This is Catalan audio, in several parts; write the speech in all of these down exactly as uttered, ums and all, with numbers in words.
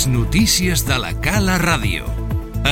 Les notícies de la Cala Ràdio.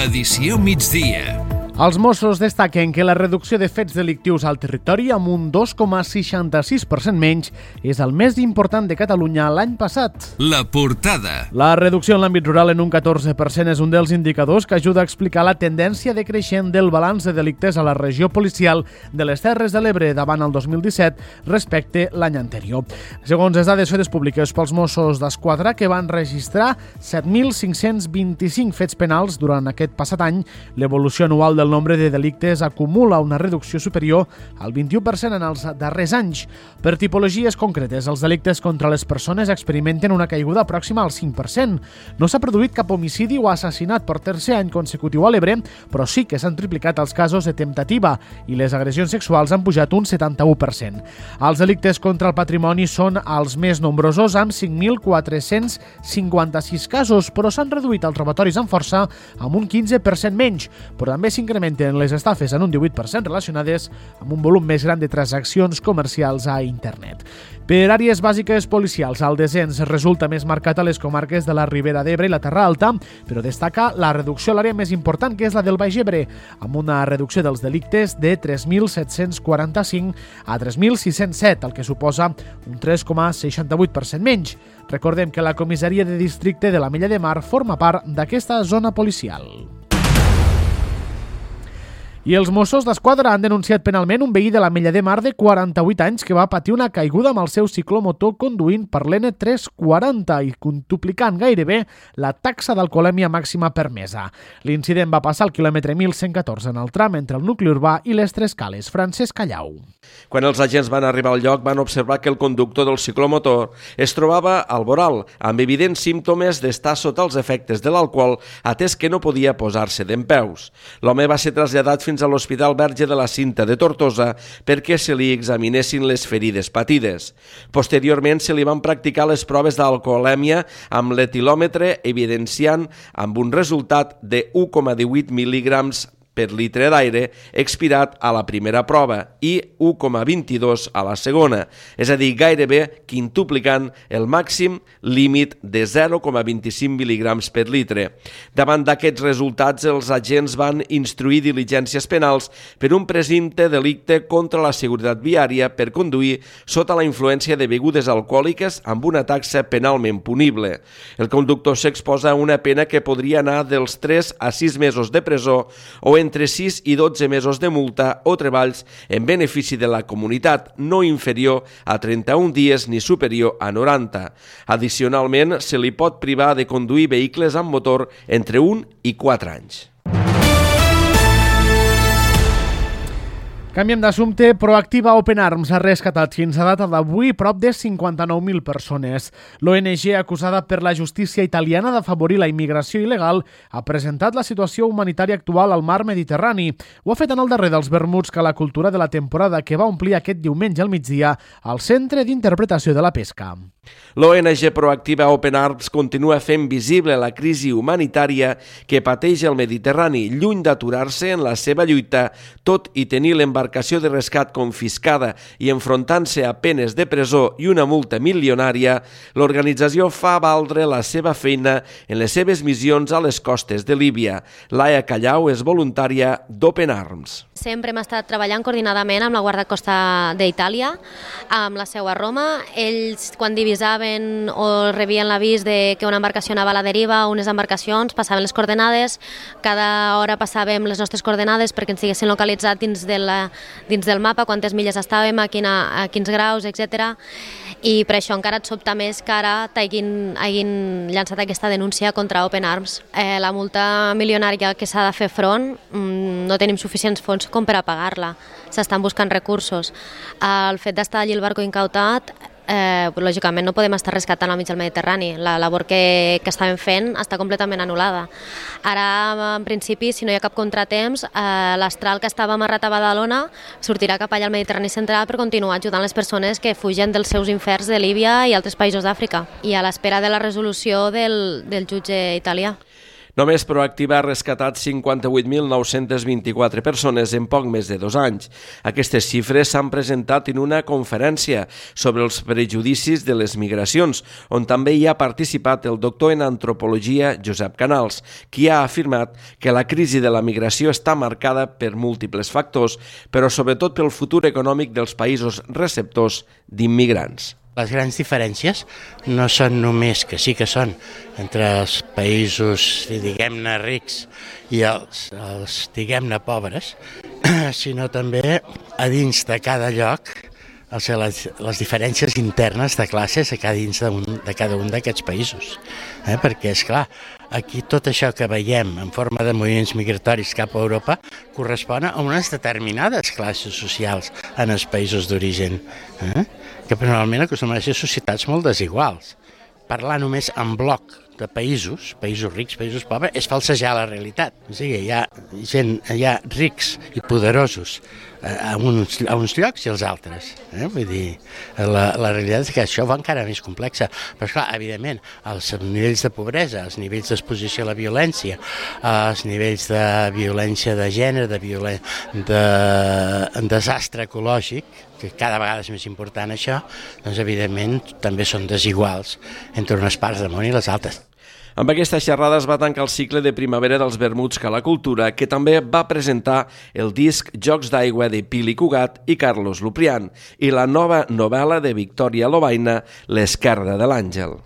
Edició migdia. Els Mossos destaquen que la reducció de fets delictius al territori amb un dos coma seixanta-sis per cent menys és el més important de Catalunya l'any passat. La portada. La reducció en l'àmbit rural en un catorze per cent és un dels indicadors que ajuda a explicar la tendència decreixent del balanç de delictes a la regió policial de les Terres de l'Ebre davant el dos mil disset respecte l'any anterior. Segons les dades fetes públiques pels Mossos d'Esquadra, que van registrar set mil cinc-cents vint-i-cinc fets penals durant aquest passat any, l'evolució anual del el nombre de delictes acumula una reducció superior al vint-i-u per cent en els darrers anys. Per tipologies concretes, els delictes contra les persones experimenten una caiguda pròxima al cinc per cent. No s'ha produït cap homicidi o assassinat per tercer any consecutiu a l'Ebre, però sí que s'han triplicat els casos de temptativa i les agressions sexuals han pujat un setanta-u per cent. Els delictes contra el patrimoni són els més nombrosos, amb cinc mil quatre-cents cinquanta-sis casos, però s'han reduït els robatoris amb força amb un quinze per cent menys, però també s'incrementen les estafes en un divuit per cent relacionades amb un volum més gran de transaccions comercials a internet. Per àrees bàsiques policials, el descens resulta més marcat a les comarques de la Ribera d'Ebre i la Terra Alta, però destaca la reducció a l'àrea més important, que és la del Baix Ebre, amb una reducció dels delictes de tres mil set-cents quaranta-cinc a tres mil sis-cents set, el que suposa un tres coma seixanta-vuit per cent menys. Recordem que la comissaria de districte de l'Ametlla de Mar forma part d'aquesta zona policial. I els Mossos d'Esquadra han denunciat penalment un veí de l'Ametlla de Mar de quaranta-vuit anys que va patir una caiguda amb el seu ciclomotor conduint per l'N tres quaranta i quintuplicant gairebé la taxa d'alcoholèmia màxima permesa. L'incident va passar al quilòmetre mil cent catorze en el tram entre el nucli urbà i les Tres Cales. Francesc Callau. Quan els agents van arribar al lloc van observar que el conductor del ciclomotor es trobava al voral, amb evidents símptomes d'estar sota els efectes de l'alcohol, atès que no podia posar-se dempeus. L'home va ser traslladat fins a l'Hospital Verge de la Cinta de Tortosa perquè se li examinessin les ferides patides. Posteriorment se li van practicar les proves d'alcoholèmia amb l'etilòmetre, evidenciant amb un resultat de u coma divuit mil·lígrams per litre d'aire expirat a la primera prova i u coma vint-i-dos a la segona, és a dir, gairebé quintuplicant el màxim límit de zero coma vint-i-cinc mil·lígrams per litre. Davant d'aquests resultats, els agents van instruir diligències penals per un presumpte delicte contra la seguretat viària per conduir sota la influència de begudes alcohòliques amb una taxa penalment punible. El conductor s'exposa a una pena que podria anar dels tres a sis mesos de presó o entre sis i dotze mesos de multa o treballs en benefici de la comunitat, no inferior a trenta-un dies ni superior a noranta. Addicionalment, se li pot privar de conduir vehicles amb motor entre un i quatre anys. Canviem d'assumpte. Proactiva Open Arms ha rescatat fins a data d'avui prop de cinquanta-nou mil persones. L'O N G, acusada per la justícia italiana d'afavorir la immigració il·legal, ha presentat la situació humanitària actual al mar Mediterrani. Ho ha fet en el darrer dels vermuts que la cultura de la temporada, que va omplir aquest diumenge al migdia al Centre d'Interpretació de la Pesca. L'O N G Proactiva Open Arms continua fent visible la crisi humanitària que pateix el Mediterrani, lluny d'aturar-se en la seva lluita, tot i tenir l'embarcació de rescat confiscada i enfrontant-se a penes de presó i una multa milionària. L'organització fa valdre la seva feina en les seves missions a les costes de Líbia. Laia Callau és voluntària d'Open Arms. Sempre hem estat treballant coordinadament amb la Guàrdia Costa d'Itàlia, amb la seu a Roma. Ells, quan divisaven o rebien l'avís de que una embarcació anava a la deriva, unes embarcacions, passaven les coordenades, cada hora passàvem les nostres coordenades perquè ens diguessin localitzat dins, de la, dins del mapa, quantes milles estàvem, a, quina, a quins graus, etcètera. I per això encara et sobta més que ara t'hagin hagin llançat aquesta denúncia contra Open Arms. Eh, la multa milionària que s'ha de fer front, mmm, no tenim suficients fons com per a pagar-la. S'estan buscant recursos. El fet d'estar allí el barco incautat, eh, lògicament no podem estar rescatant al mig del Mediterrani. La labor que, que estàvem fent està completament anul·lada. Ara, en principi, si no hi ha cap contratemps, eh, l'astral que estava amarrat a Badalona sortirà cap allà al Mediterrani central per continuar ajudant les persones que fugen dels seus inferns de Líbia i altres països d'Àfrica, i a l'espera de la resolució del, del jutge italià. Només Proactiva ha rescatat cinquanta-vuit mil nou-cents vint-i-quatre persones en poc més de dos anys. Aquestes xifres s'han presentat en una conferència sobre els prejudicis de les migracions, on també hi ha participat el doctor en antropologia Josep Canals, qui ha afirmat que la crisi de la migració està marcada per múltiples factors, però sobretot pel futur econòmic dels països receptors d'immigrants. Les grans diferències no són només, que sí que són, entre els països, diguem-ne, rics i els, els diguem-ne, pobres, sinó també a dins de cada lloc, o sigui, les, les diferències internes de classes a cada dins de, un, de cada un d'aquests països. Eh? Perquè, és clar, aquí tot això que veiem en forma de moviments migratoris cap a Europa correspon a unes determinades classes socials en els països d'origen, eh? que normalment acostumen a ser societats molt desiguals. Parlar només en bloc de països, països rics, països pobres, és falsejar la realitat. O sigui, hi ha gent, hi ha rics i poderosos a uns, a uns llocs i als altres. Eh? Vull dir, la, la realitat és que això va encara més complexa. Però, esclar, evidentment, els nivells de pobresa, els nivells d'exposició a la violència, els nivells de violència de gènere, de, violen... de... desastre ecològic, que cada vegada és més important això, doncs evidentment també són desiguals entre unes parts del món i les altres. Amb aquesta xerrada es va tancar el cicle de primavera dels vermuts Cala Cultura, que també va presentar el disc Jocs d'aigua de Pili Cugat i Carlos Luprián i la nova novel·la de Victòria Lobaina, L'esquerda de l'àngel.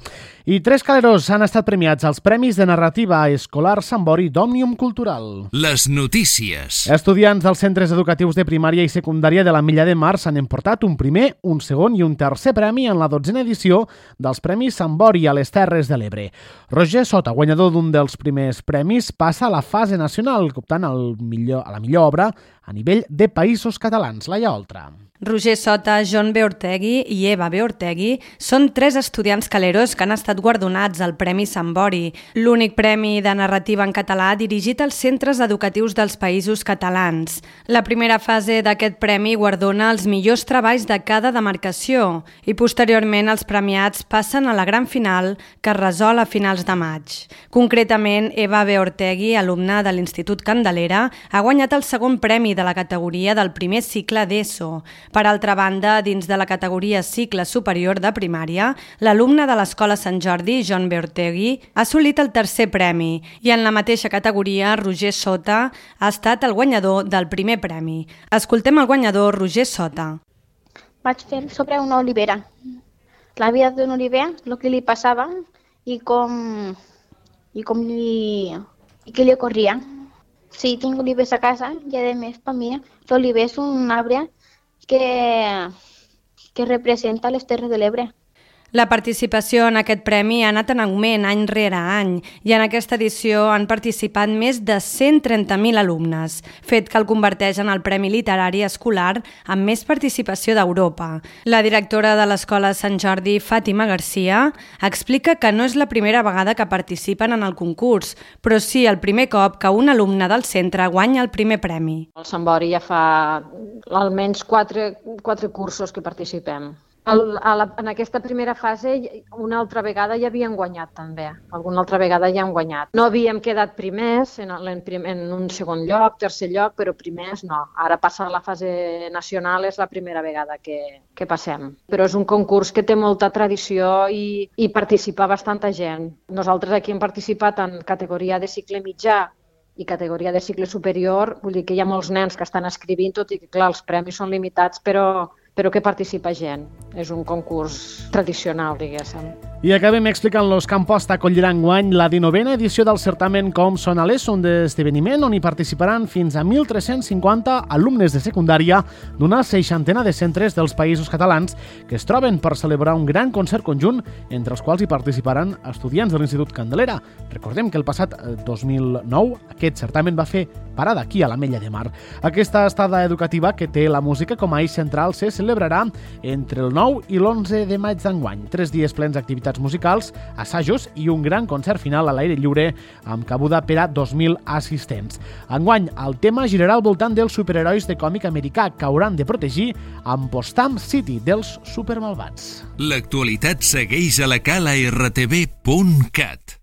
I tres caleros han estat premiats als Premis de Narrativa Escolar Sant Bori d'Òmnium Cultural. Les notícies. Estudiants dels centres educatius de primària i secundària de l'Ametlla de Mar s'han emportat un primer, un segon i un tercer premi en la dotzena edició dels Premis Sant Bori a les Terres de l'Ebre. Roger Sota, guanyador d'un dels primers premis, passa a la fase nacional, optant al millor, a la millor obra a nivell de països catalans. Laia Oltra. Roger Sota, John B. Ortegui i Eva B. Ortegui són tres estudiants caleros que han estat guardonats al Premi Sant Bori, l'únic premi de narrativa en català dirigit als centres educatius dels països catalans. La primera fase d'aquest premi guardona els millors treballs de cada demarcació i posteriorment els premiats passen a la gran final que es resol a finals de maig. Concretament, Eva B. Ortegui, alumna de l'Institut Candelera, ha guanyat el segon premi de la categoria del primer cicle d'ESO. Per altra banda, dins de la categoria cicle superior de primària, l'alumne de l'Escola Sant Jordi, John B. Ortegui, ha assolit el tercer premi i en la mateixa categoria, Roger Sota ha estat el guanyador del primer premi. Escoltem el guanyador, Roger Sota. Vaig fer sobre una olivera. La vida d'un oliver, el que li passava i com, i com li, i què li ocorria. Sí, tinc olivers a casa i a més per mi l'oliver és un arbre que, que representa les Terres de l'Ebre. La participació en aquest premi ha anat en augment any rere any i en aquesta edició han participat més de cent trenta mil alumnes, fet que el converteix en el Premi Literari Escolar amb més participació d'Europa. La directora de l'Escola Sant Jordi, Fàtima Garcia, explica que no és la primera vegada que participen en el concurs, però sí el primer cop que un alumne del centre guanya el primer premi. El Sant Bori ja fa almenys quatre, quatre cursos que participem. El, a la, en aquesta primera fase una altra vegada ja havien guanyat també, alguna altra vegada ja han guanyat. No havíem quedat primers en, en, en un segon lloc, tercer lloc, però primers no. Ara passa a la fase nacional, és la primera vegada que, que passem. Però és un concurs que té molta tradició i, i participa bastanta gent. Nosaltres aquí hem participat en categoria de cicle mitjà i categoria de cicle superior, vull dir que hi ha molts nens que estan escrivint, tot i que clar, els premis són limitats, però però que participa gent. És un concurs tradicional, diguéssim. I acabem explicant-los que Amposta acollirà enguany la dinovena edició del certamen Com Són a l'ESO, un esdeveniment on hi participaran fins a mil tres-cents cinquanta alumnes de secundària d'una seixantena de centres dels països catalans que es troben per celebrar un gran concert conjunt entre els quals hi participaran estudiants de l'Institut Candelera. Recordem que el passat dos mil nou aquest certamen va fer parada aquí a l'Ametlla de Mar. Aquesta estada educativa que té la música com a eix central se celebrarà entre el nou i l'onze de maig d'enguany. Tres dies plens d'activitats musicals, assajos i un gran concert final a l'aire lliure amb cabuda per a dos mil assistents. Enguany, el tema girarà al voltant dels superherois de còmic americà que hauran de protegir Ampostam City dels supermalvats. L'actualitat segueix a la cala r t v punt cat.